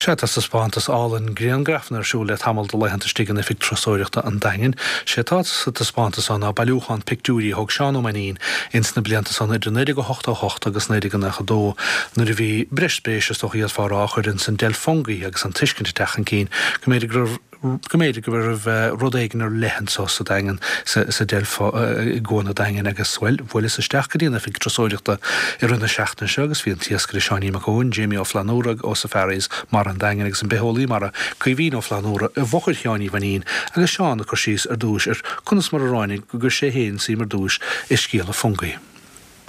Sea, tá taispeántas álainn griangrafanna ar siúl le tamall de laethanta istigh in Oifig Turasóireachta an Daingin. Sé atá sa taispeántas seo ná bailiúchán pictiúirí a thóg Seán Ó Mainnín ins na blianta san idir 1988 agus 1992 nuair a bhí breis spéise, is dócha a d'fhéadfá a rá, á chur ins an deilf fungie agus an tuiscint ag teacht chun cinn go mb'fhéidir go raibh go mb'fhéidir go raibh rud éigin ar leith anso sa Daingean, sa deilf i gCuan an Daingin agus, bhuel, bhuaileas isteach go dtí an oifig turasóireachta i rith na seachtaine seo agus bhí an t-iascaire Seáinín Mac Eoin, Jamie Ó Flannúra ó Safaris Mara an Daingin agus an bitheolaí mara Caoimhín Ó Flannúra i bhfochair Sheáin Uí Mhainín agus Seán ag cur síos ar dtúis ar conas mar a ráinig go gcuir sé féin suim ar dtúis i scéala fungie.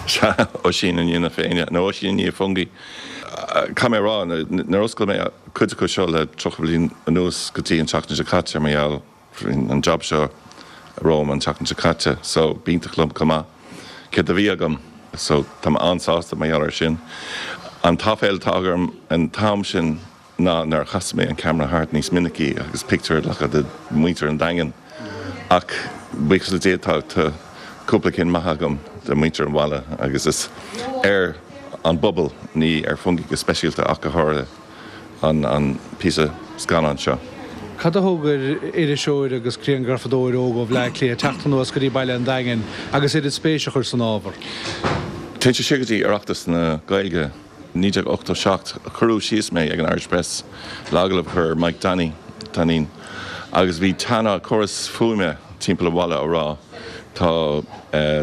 Sea, Oisín i ndiaidh na Féinne, nó Oisín i ndiaidh Fungie. Caithfidh mé a rá, nuair a oscail mé cuid acu seo le 30 bliain anuas go dtí an tseachtain seo caite, mar gheall an job seo romham an tseachtain seo caite, so b'iontach liom chomh maith céard a bhí agam, so tá mé an-sásta mar gheall air sin. An t-aiféala atá agam an t-am sin, ná nár chas mé an ceamara thart níos minicí agus pictiúr a ghlacadh de mhuintir an Daingin. Ach buíochas le Dia tá cúpla cinn maith agam de mhuintir an bhaile agus is ar an bpobal, ní ar Fungie go speisialta ach go háirithe, an píosa scannáin seo. Cad a thug ar iriseoir agus grianghrafadóir óg ó Bhleá Cliath teacht anuas go dtí baile an Daingin agus oiread spéise a chur san ábhar? Téann sé siar go dtí Oireachtas na Gaeilge. 1987, cuireadh síos mé ag an Irish Press le agallamh a chur ar Mike Danny, Dainín, agus bhí teannán, córas fuaime timpeall an bhaile á rá tá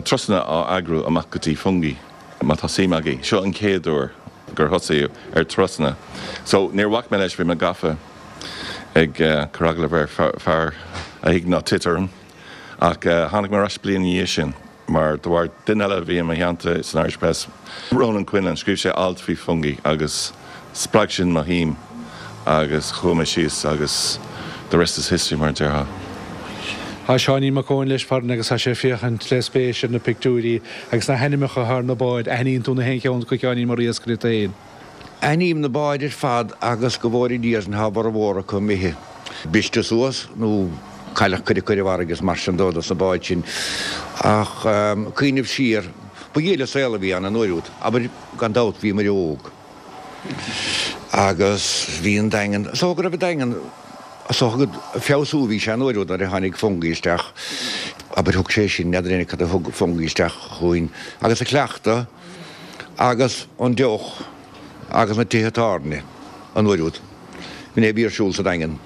turasanna á eagrú amach go dtí Fungie má tá suim agaibh. Seo an chéad uair gur thosaíodh ar turasanna. So níor bhac mé leis, bhí mé gafa ag cur agallamh ar fear a thig ná tit orm ach tháinig mé ar ais bliain ina dhiaidh sin. Mar de bharr duine eile a bhí i mo theannta san Irish Press, Ronan Quinlan, scríobh sé alt faoi Fungie agus spreag sin mo shuim agus chuaigh mé síos agus the rest is history mar a déarfá. Tá Seáinín Mac Eoin leis farainn agus tá sé ag féachaint le spéis ar na pictiúirí agus na hainmneacha atá ar na báid. Aithníonn tú na haon cheann acu a Sheáinín mar iascaire tú féin? Aithním na báid ar fad agus go bhfóire Dia orainn tá a bhformhór acu imithe, briste suas nó cailleadh cuid acu ar an bhfarraige is mar sin dó dos na báid sin. Ach cuimhneamh siar, ba ghile saol a bhí ann an uair úd. Abair, gan dabht bhíomair óg agus bhí an Daingean, is dócha go raibh an Daingean, is dócha go, feabhsú a bhí sé an uair úd nuair a tháinig Fungie isteach. Abair thug sé sin, n'fheadar éinne cad a thug Fungie isteach chugainn agus a cleachtadh. agus an deoch agus na tithe tábhairne an uair úd. B'in é a bhí ar siúl sa Daingean.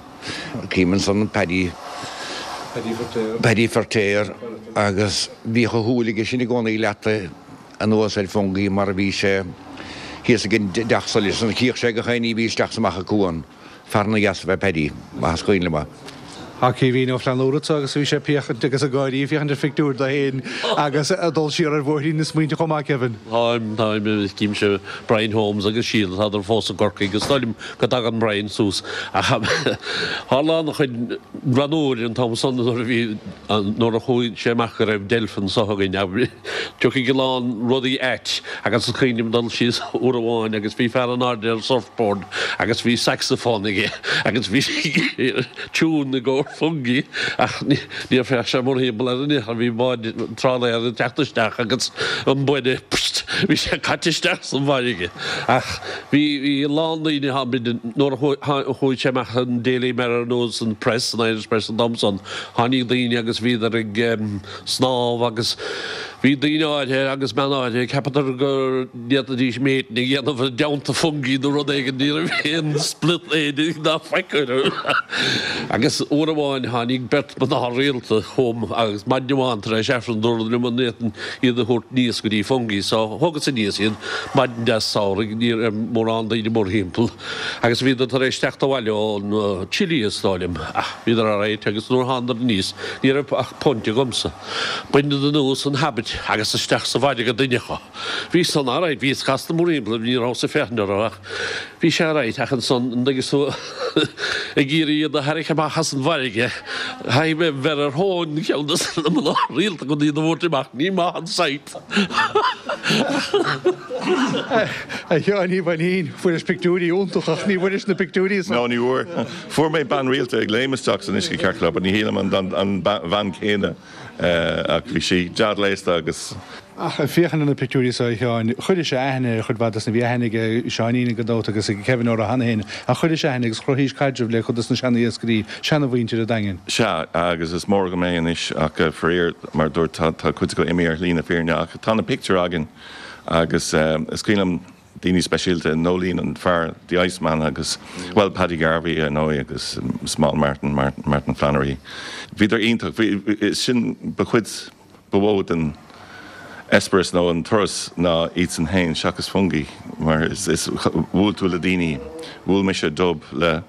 Cím ansan Paddy, Paddy Feirtéar agus bhíodh a shúil aige sin i gcónaí leata anuas ar Fungie mar a bhí sé thíos ag an dteach solais ansan. Chíodh sé gach éinní a bhí isteach is amach an cuan. Fear ana dheas ab ea Paddy, más cuimhin liom é. Tá Caoimhín Ó Flannúra anseo agus bhí sé ag féachaint agus ag gáirí ag féachaint ar phictiúir de féin agus ag dul siar ar bhóithrín na smaointe chomh maith, Kevin. Táim, táim, címse Brian Holmes agus Síle, tádar fós i gCorcaigh agus is dóigh liom go dtagann Brian suas ach tharla an-chuid rannúir an t-am san nuair a bhí, nuair a chuaigh sé amach go raibh deilf anso againn. Tiocfaidh a lán rudaí ait agus is cuimhin liom dul síos uair amháin agus bhí fear in airde ar surfboard agus bhí saxophone aige agus bhí tiún i gcomhair Fungie ach níor féach sé mórthimpeall air in aon chor, bhí bád trálaer ag teacht isteach agus an buille, pst, bhí sé caite isteach san bhfarraige. Ach bhí bhí a lán daoine tháinig nuair a chuaigh sé amach an Daily Mirror nó san Press, an Irish Press an t-am san, tháinig daoine agus bhíodar ag snámh agus bhí daoine áirithe agus bean áirithe, cheapadar go ndéanfaidís méitin a dhéanamh i dteannta Fungie nó rud éigin, ní raibh aon split éadaigh ná faic orthu. Agus uair amháin tháinig beirt mná rialta chugam agus maidin amháin tar éis Aifreann dúradar liom an bhféadfainn iad a thabhairt aníos go dtí Fungie so thugas aníos iad, maidin deas samhraidh, ní raibh mórán daoine mórthimpeall agus bhíodar tar éis teacht abhaile ón Chile is dóigh liom ach bhíodar alright agus nuair a thánadar aníos ní raibh ach punt agamsa. Baineadar anuas an habit agus isteach sa bhfarraige duine acu. Bhí san alright, bhíos casta mórthimpeall, ní rabhas ag féachaint orthu ach bhí sé alright ach ansan an dtuigeann tú ag iarraidh iad a tharrac amach as an bhfarraige, chaithfidh mé bheith ar thóin ceann de na mná rialta chun iad a thabhairt amach, ní maith an sight. A Sheáin Uí Mhainín, fuairis pictiúirí iontacha ach ní bhfuairis na pictiúirí san. No, ní bhfuair. Fuair mé bean rialta ag léim isteach san uisce ceart go leor, but ní shílim an bhean chéanna ach bhí sí dea-ghléasta agus. Ach ag féachaint ar na pictiúirí so, a Sheáin, chuiris aithne ar chuid mhaith dos na, bhí aithne ag Seáinín gan dabht agus ag Kevin orthu cheana féin, ach chuiris aithne agus chruthaís caidreamh le cuid dos na seana-iascairí, seana-mhuintir an Daingin. Sea, agus is mór agam é anois ach faraor, mar a dúirt, tá cuid acu imithe ar shlí na fírinne ach tá na pictiúir againn agus is cuimhin liom daoine speisialta, Noeleen an fear, the Iceman agus, bhuel, Paddy Garvey ar ndóigh agus Small Martin, Martin Flannery. Bhíodar iontach, bhí, sin, ba chuid ba mhó den eispéireas nó an turas ná iadsan féin seachas Fungie mar is, is, bhuail tú le daoine, bhuail mise dub le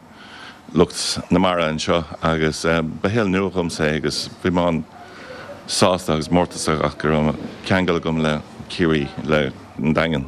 lucht na mara anseo agus ba shaol nua dhomsa é agus bhí mé an-sásta agus mórtasach go raibh ceangal agam le Ciarraí, le an Daingean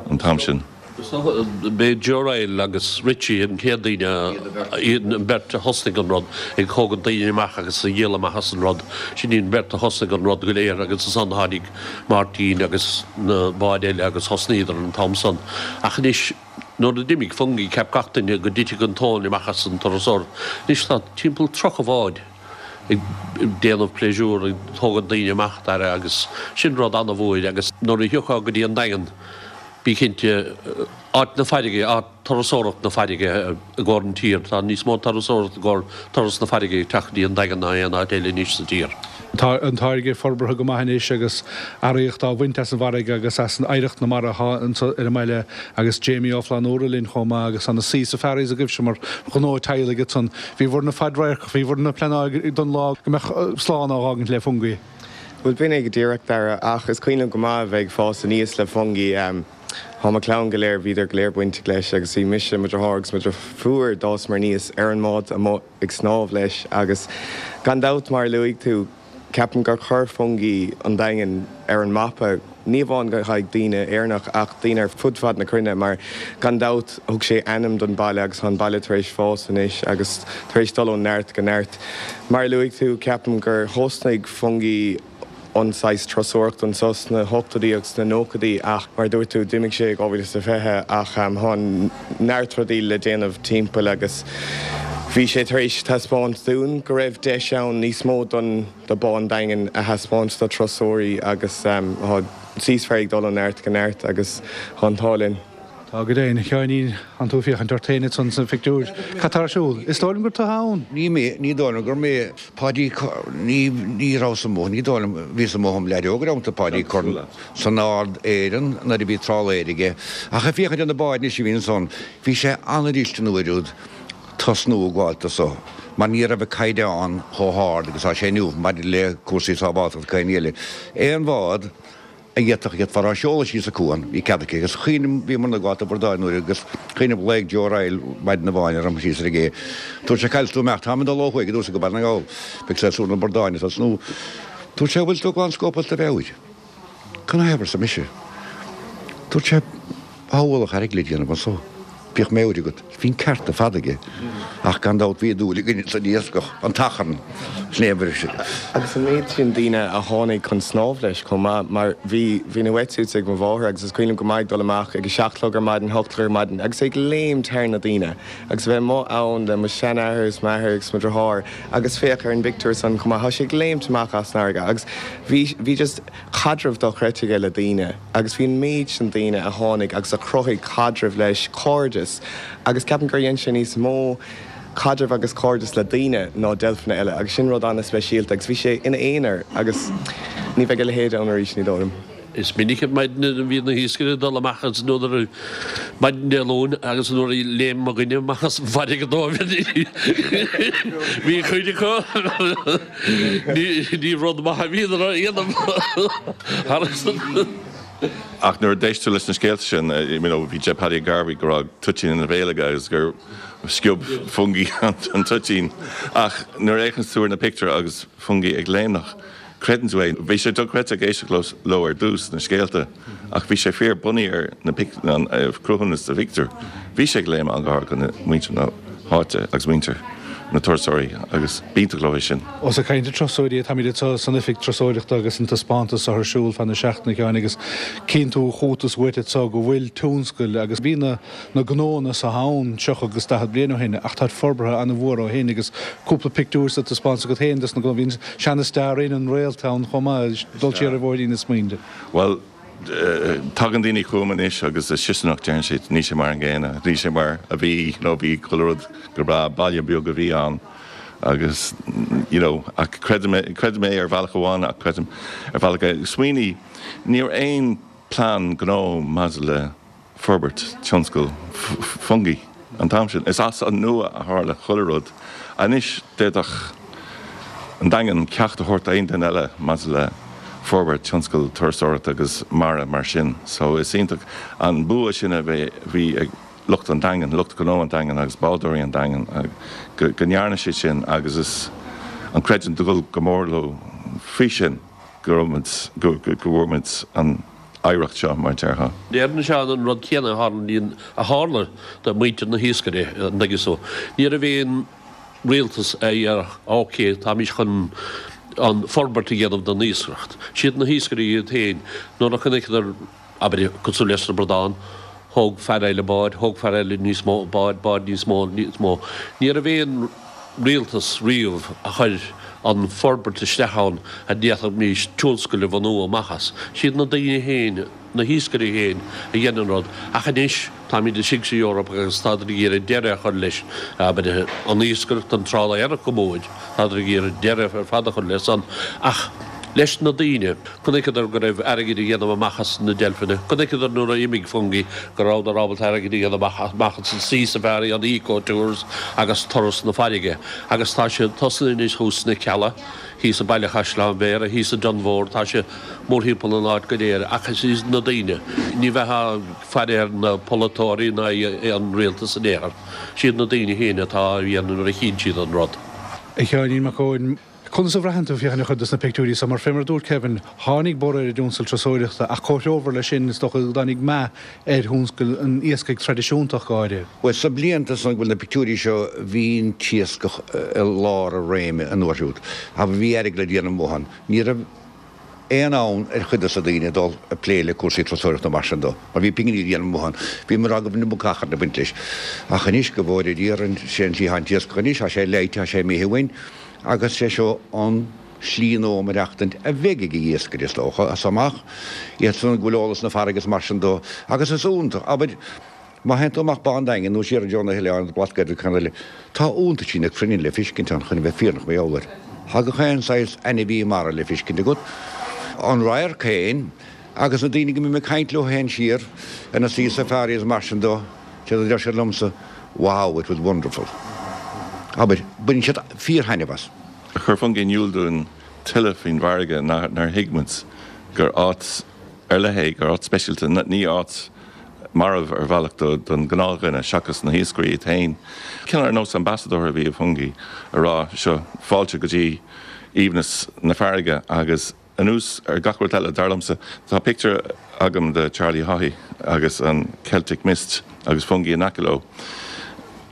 an t-am sin. B'é Joe Ryle agus Richie an chéad daoine, iad an bheirt a thosnaigh an rud, ag tógaint daoine amach agus ag díol amach as an rud. Sin iad an bheirt a thosnaigh an rud go léir agus ansan tháinig Máirtín agus na báid eile agus thosnaíodar an t-am san. Ach anois nuair a d'imigh Fungie cheap gach duine go dtitfeadh an tóin amach as an turasóireacht. Anois tá timpeall 30 bhád ag déanamh pléisiúr, ag tógaint daoine amach, Dara, agus sin rud an-mhór agus nuair a thiocfá go dtí an Daingean, Bí cinnte, áit na farraige, áit turasóireacht na farraige i gcomhair an tír. Tá níos mó turasóireacht i gcomhair turas na farraige ag teacht go dtí an Daingean ná aon áit eile anois sa tír. Tá an táirge forbartha go maith anois agus earraíocht á bhaint as an bhfarraige agus as an oidhreacht na mara atá anso ar an mbaile agus Jamie Ó Flannúra linn chomh maith agus tá na Sea Safaris agaibhse mar ghnó teaghlaigh ansan. Bhí bhur na fadradharc, bhí bhur na pleanáil don lá go mbeadh slán á dh'fhágaint le Fungie. Bhuel, b'in é go díreach, Dara, ach is cuimhin liom go maith a bheith ag fás aníos le Fungie. Tá mo chlann go léir, bhíodar go léir bainteach leis agus bhí mise, mo dheartháir agus mo dheirfiúr, d'fhásamar aníos ar an mbád amuigh ag snámh leis agus gan dabht, mar a luaigh tú, ceapaim gur chuir Fungie an Daingean ar an mapa, ní amháin le haghaidh daoine Éireannach ach daoine ar fud fad na cruinne mar gan dabht thug sé ainm don baile agus tá an baile tar éis fás anois agus tar éis dul ó neart go neart. Mar a luaigh tú, ceapaim gur thosnaigh Fungie an saghas turasóireacht anso sna hochtóidí agus sna nóchaidí ach mar a dúirt tú, d'imigh sé i 2020 ach tá neart rudaí le déanamh timpeall agus bhí sé tar éis taispeáint dúinn go raibh deis ann níos mó don do Bá an Daingin a thaispeáint do turasóirí agus tá Sea Safari ag dul ó neart go neart agus tá an t-ádh linn. Tá go deimhin, a Sheáinín, tánn tú ag féachaint ort féin ansan sa phictiúr. Cad tá ar siúl? Is dóigh liom gur tú ann. Ní mé, ní dóigh liom gur mé. Páidí, Ní, ní rabhas amuigh, ní dóigh liom, bhíos amuigh im leaid óg ar amanta Páidí Curran san Ard Éireann nuair a bhí trálaeir aige. Ach ag féachaint ar na báid anois a bhí ansan, bhí sé an-fhuirist an uair úd tosnú ag gabháilt do so mar ní raibh an caighdeán chomh hard agus tá sé inniu maidir le cúrsaí sábháilteachta agus aon ní eile. Aon bhád a d'fhéadfadh iad fara seoladh síos an cuan, bhí cead aici agus cuimhním, bhíomar ag gabháilt do bhordáin uair agus cuimhním ghlaoigh Joe Ryle maidin amháin orm síos ar an gcé. Dúirt sé cá bhfuil tú ag imeacht, táim ag dul ó thuaidh, a dúirt go Baile na nGall, beidh sé sur na bordáin ag tosnú. Dúirt sé, bhfuil tú glan scópáilte do mheabhair? Canathaobh arsa mise. Dúirt sé, Tá ualach airgid le déanamh anso. Bíodh meabhair agat. Bhí an ceart ar fad aige. Ach gan dabht bhí dúil againn san iascach, an t-achrann, sin é an bhriseadh. Agus an méid sin daoine a tháinig chun snámh leis chomh maith, mar bhí, bhí na wetsuits ag mo mháthair agus is cuimhin liom go maith ag dul amach ag a seacht a chlog ar maidin, hocht a chlog ar maidin agus ag léimt thar na daoine agus a bheith amuigh ann le mo sheanathair is m'athair agus mo dheartháir agus féach ar an bpictiúr san chomh maith, tá sé ag léimt amach as an fharraige agus bhí, bhí just caidreamh dochreidte aige le daoine agus bhí an méid sin daoine a tháinig agus a chruthaigh caidreamh leis, cairdeas agus ceapaim gur dhein sé níos mó caidreamh agus cairdeas le daoine ná deilfeanna eile agus sin rud an-speisialta agus bhí sé ina aonar agus ní bheidh a leithéid ann arís, ní dóigh liom. Is minic ar maidin a bhíonn na hiascairí ag dul amach agus nuair a maidin Dé Luain agus nuair a léim mo dhuine amach as an bhfarraige dóibh bhí cuid acu ní rud maith a bhíodar a dhéanamh thar san. Ach nuair a d'éist tú leis na scéalta sin, you know, bhí Jeff Paddy Garvey go raibh toitín ina bhéal aige agus gur sciob Fungie an toitín. Ach nuair a fhéachanns tú ar na pictiúir agus Fungie ag léimneach, Creideann tú é. Bhí sé dochreidte ag éisteacht leo ar dtús, na scéalta, ach bhí sé fíor bunaithe ar na an cruthúnas sa phictiúr. Bhí sé ag léimeadh an-ghar do muintir na háite agus muintir na turasóirí agus b'iontach leo é sin. Ós ag caint ar turasóirí atáimid anseo san Oifig Turasóireachta agus an taispeántas seo ar siúl feadh na seachtaine, a Sheáin, agus cíonn tú chugat is uait anseo go bhfuil tionscail agus bhí na na gnóanna seo ann 30 agus 40 bliain ó shin ach táid forbartha an-mhór ó shin agus cúpla pictiúr sa taispeántas agat féin dos na gnóanna. Bhí an seana Star Inn, an Réalt ann chomh maith, dul siar ar bhóithrín na smaointe. Bhuel, tagann daoine chugam anois agus is siosarnach deireann siad, níl sé mar an gcéanna, níl sé mar a bhí nó bhí chuile rud go breá, baile beag a bhí ann agus you know ach creidim é, creidim é ar bhealach amháin ach creidim ar bhealach eile. Smaoinigh, ní raibh aon plean gnó maidir le forbairt tionscal Fungie an t-am sin. Is as an nua a tharla chuile rud. Anois d'fhéadfadh an Daingean ceacht a thabhairt d'aon duine eile maidir le forbairt tionscal turasóireachta agus mara mar sin. So is iontach an bua sin a bhí ag lucht an Daingin, lucht gnó an Daingin agus bádóirí an Daingin go ndearna siad sin agus is an creidiúint ag dul go mór leo faoi sin go raibh muid, go bhfuair muid an. oidhreacht seo, mar a déarfá. Déarfainn Seán an rud céanna a tharlaíonn, a tharla do mhuintir na hiascaire, an dtuigeann tú. Ní raibh aon rialtas a dhéarfadh ok, táimís chun an forbairt a dhéanamh don iascaireacht. Siad na hiascairí iad féin, nuair a chonaiceadar, abair, cosúil leis na bradáin, thóg fear eile bád, thóg fear eile níos mó bád, bád níos mó, níos mó. Ní raibh aon rialtas riamh a chuir an forbairt isteach ann a d'fhéadfaimís tionscal a bhunú amach as. Siad na daoine féin, na hiascairí féin a dhein an rud. Ach anois táimid istigh sa Eoraip agus tádar ag iarraidh deireadh a chur leis, abair, an iascaireacht, an trálaeireacht go mór, tádar ag iarraidh deireadh ar fad a chur leis san. Ach leis na daoine, chonaiceadar go raibh airgead a dhéanamh amach as na deilfeanna, chonaiceadar nuair a imigh Fungie go rabhadar ábalta airgead a dhéanamh amach as an Sea Safari, an Eco Tours agus turas na farraige. Agus tá siad tosaithe anois thuas sna Cealla, thíos i Baile Chaisleáin Bhéarra, thíos i dTonn Mhór, tá sé mórthimpeall an áit go léir ach is iad na daoine, ní bheifeá ag faire ar na polaiteoirí ná an rialtas in aon chor, siad na daoine féin atá á dhéanamh nuair a chíonn siad an rud. A Sheáinín Mac Eoin, Conas a bhraitheann tú féachaint ar chuid dos na pictiúirí so? Mar fé mar a dúirt Kevin, tháinig borradh ar an dtionscal turasóireachta ach comhthreomhar leis sin is dócha go dtáinig meath ar thionscal an iascaigh traidisiúnta ach go háirithe. Bhuel, sna blianta san go bhfuil na pictiúirí seo bhí an t-iascach i lár a réime an uair siúd. Abair bhí airgead le déanamh amuigh ann. Ní raibh aon fhonn ar chuid dos na daoine dul ag plé le cúrsaí turasóireachta mar sin dó, mar bhí pinginí le déanamh amuigh ann. Bhí mé ag rá go bhfuil an iomarca achrainn ag baint leis. Ach anois, go bhfóire Dia orainn, sé an tslí atá an t-iascach anois, tá sé leáite, tá sé imithe uainn, agus sé seo an slí nua maireachtaint a bheidh ag an iascaire, is dócha, as seo amach, iad san go bhfuil eolas na farraige is mar sin dó. Agus is iontach, abair, Má théann tú amach Bá an Daingin nó siar i dtreo na hoileáin, an Blascaod agus ceann eile, tá iontaisí na cruinne le fiscint ann chun a bheith fírinneach mar gheall air. Tá gach aon saghas ainmhí mara le fiscint agat. An radharc féin agus na daoine go mbím ag caint leo féin siar ar na sea safaris is mar sin dó, séard a deir siad liomsa, Wow, it was wonderful. Abair, baineann siad fíor-thaitneamh as. Chuir Fungie in iúl dúinn tuilleadh faoin bhfarraige nár thuig muid gur áit ar leith é, gur áit speisialta, ní áit marbh ar bhealach don ghnáthdhuine seachas na hiascairí iad féin. Cineál ar nós ambasadóir a bhí i Fungie a rá seo fáilte go dtí aoibhneas na farraige agus anuas ar gach rud eile, dar liomsa, tá pictiúr agam de Charlie Haughey agus an Celtic Mist agus Fungie in aice leo.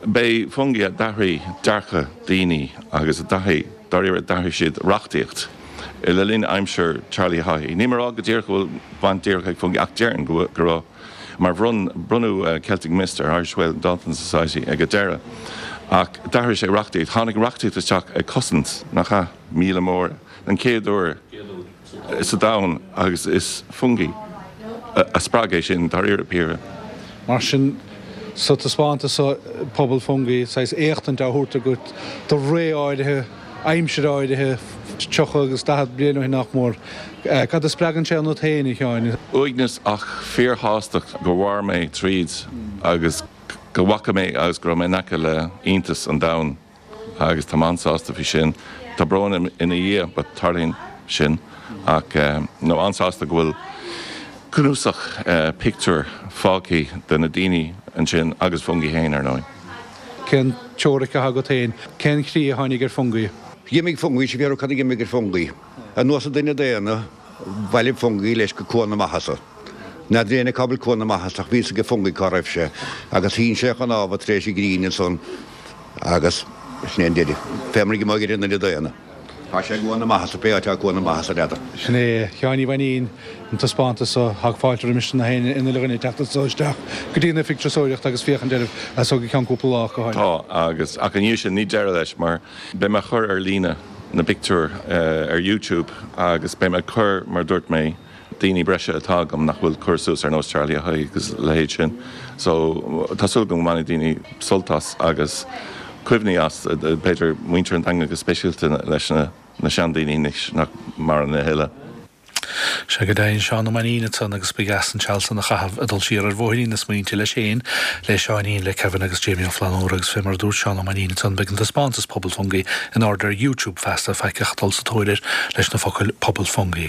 B'é Fungie a d'athraigh dearcadh daoine agus a d'athraigh, dáiríre, d'athraigh siad reachtaíocht le linn aimsir Charlie Haughey. Níl mé ag rá go díreach go bhfuil baint díreach ag Fungie ach déarfainn go raibh mar bhronn, bronnadh Celtic Mist ar Irish Whale and Dolphin Society ag an deireadh ach d'athraigh sé reachtaíocht. Tháinig reachtaíocht isteach ag cosaint, nach ea, míola móra den chéad uair. sa domhan agus is Fungie a spreag é sin dáiríre píre. Mar sin, sa taispeántas seo, Pobal Fungie, saghas éachtaint á thabhairt agat do ré áirithe, aimsir áirithe, 30 agus 40 bliain ó shin nach mór. Cad a spreagann sé ionat féin, a Sheáin? Uaigneas ach fíorshástacht gur mhair mé tríd agus go bhfaca mé agus go raibh mé in aice le iontas an domhain. agus tá mé an-sásta faoi sin. Tá brón ina dhiaidh but tarlaíonn sin ach no an-sásta go bhfuil cnuasach pictiúr fágtha de na daoine ansin agus Fungie féin ar ndóigh. Cén teoiric atá agat féin? Cén chaoi a tháinig ar Fungie? D'imigh Fungie, is fiafraí cad a d'imigh ar Fungie. Ar nós an duine daonna, bhailigh Fungie leis go Cuan na Maitheasa. N'fheadar éinne cá bhfuil Cuan na Maitheasa ach bhí fhios ag Fungie cá raibh sé agus shín sé a chnámha tar éis an ghrian ansan agus. Sin é an deireadh. Fé mar a gheobhaidh ar an duine daonna. Tá sé ag goil na maitheasa, pé áit atá ag goil na maitheasa, n'fheadar. Sin é a Sheáin Uí Mhainín, an taispeántas so. Tá fáilte roimis na héinne, an uile dhuine teacht anso isteach go dtí an Oifig Turasóireachta agus féachaint air as so go ceann cúpla lá ach go háirithe. Tá, agus, ach ina dhiaidh sin, ní deireadh leis mar beidh mé ag cur ar líne na bpictiúr ar YouTube agus beidh mé ag cur, mar a dúirt mé, daoine breise atá agam nach bhfuil curtha suas ar nós Charlie Haigh agus a leithéid sin. So tá súil agam go mbainfidh daoine sult as agus cuimhní as, b'fhéidir muintir an Daingin go speisialta leis na seandaoine anois nach maireann a thuilleadh. Sea go deimhin, Seán Ó Mainnín ansan agus ba dheas an seal san a chaitheamh ag dul siar ar bhóithrín na smaointe leis féin, le Seáinín, le Kevin agus Jamie Ó Flannúra agus fé mar a dúirt Seán Ó Mainnín ansan beidh an taispeántas Pobal Fungie in airde ar YouTube feasta, faic ach dul sa tóir air leis na focail Pobal Fungie.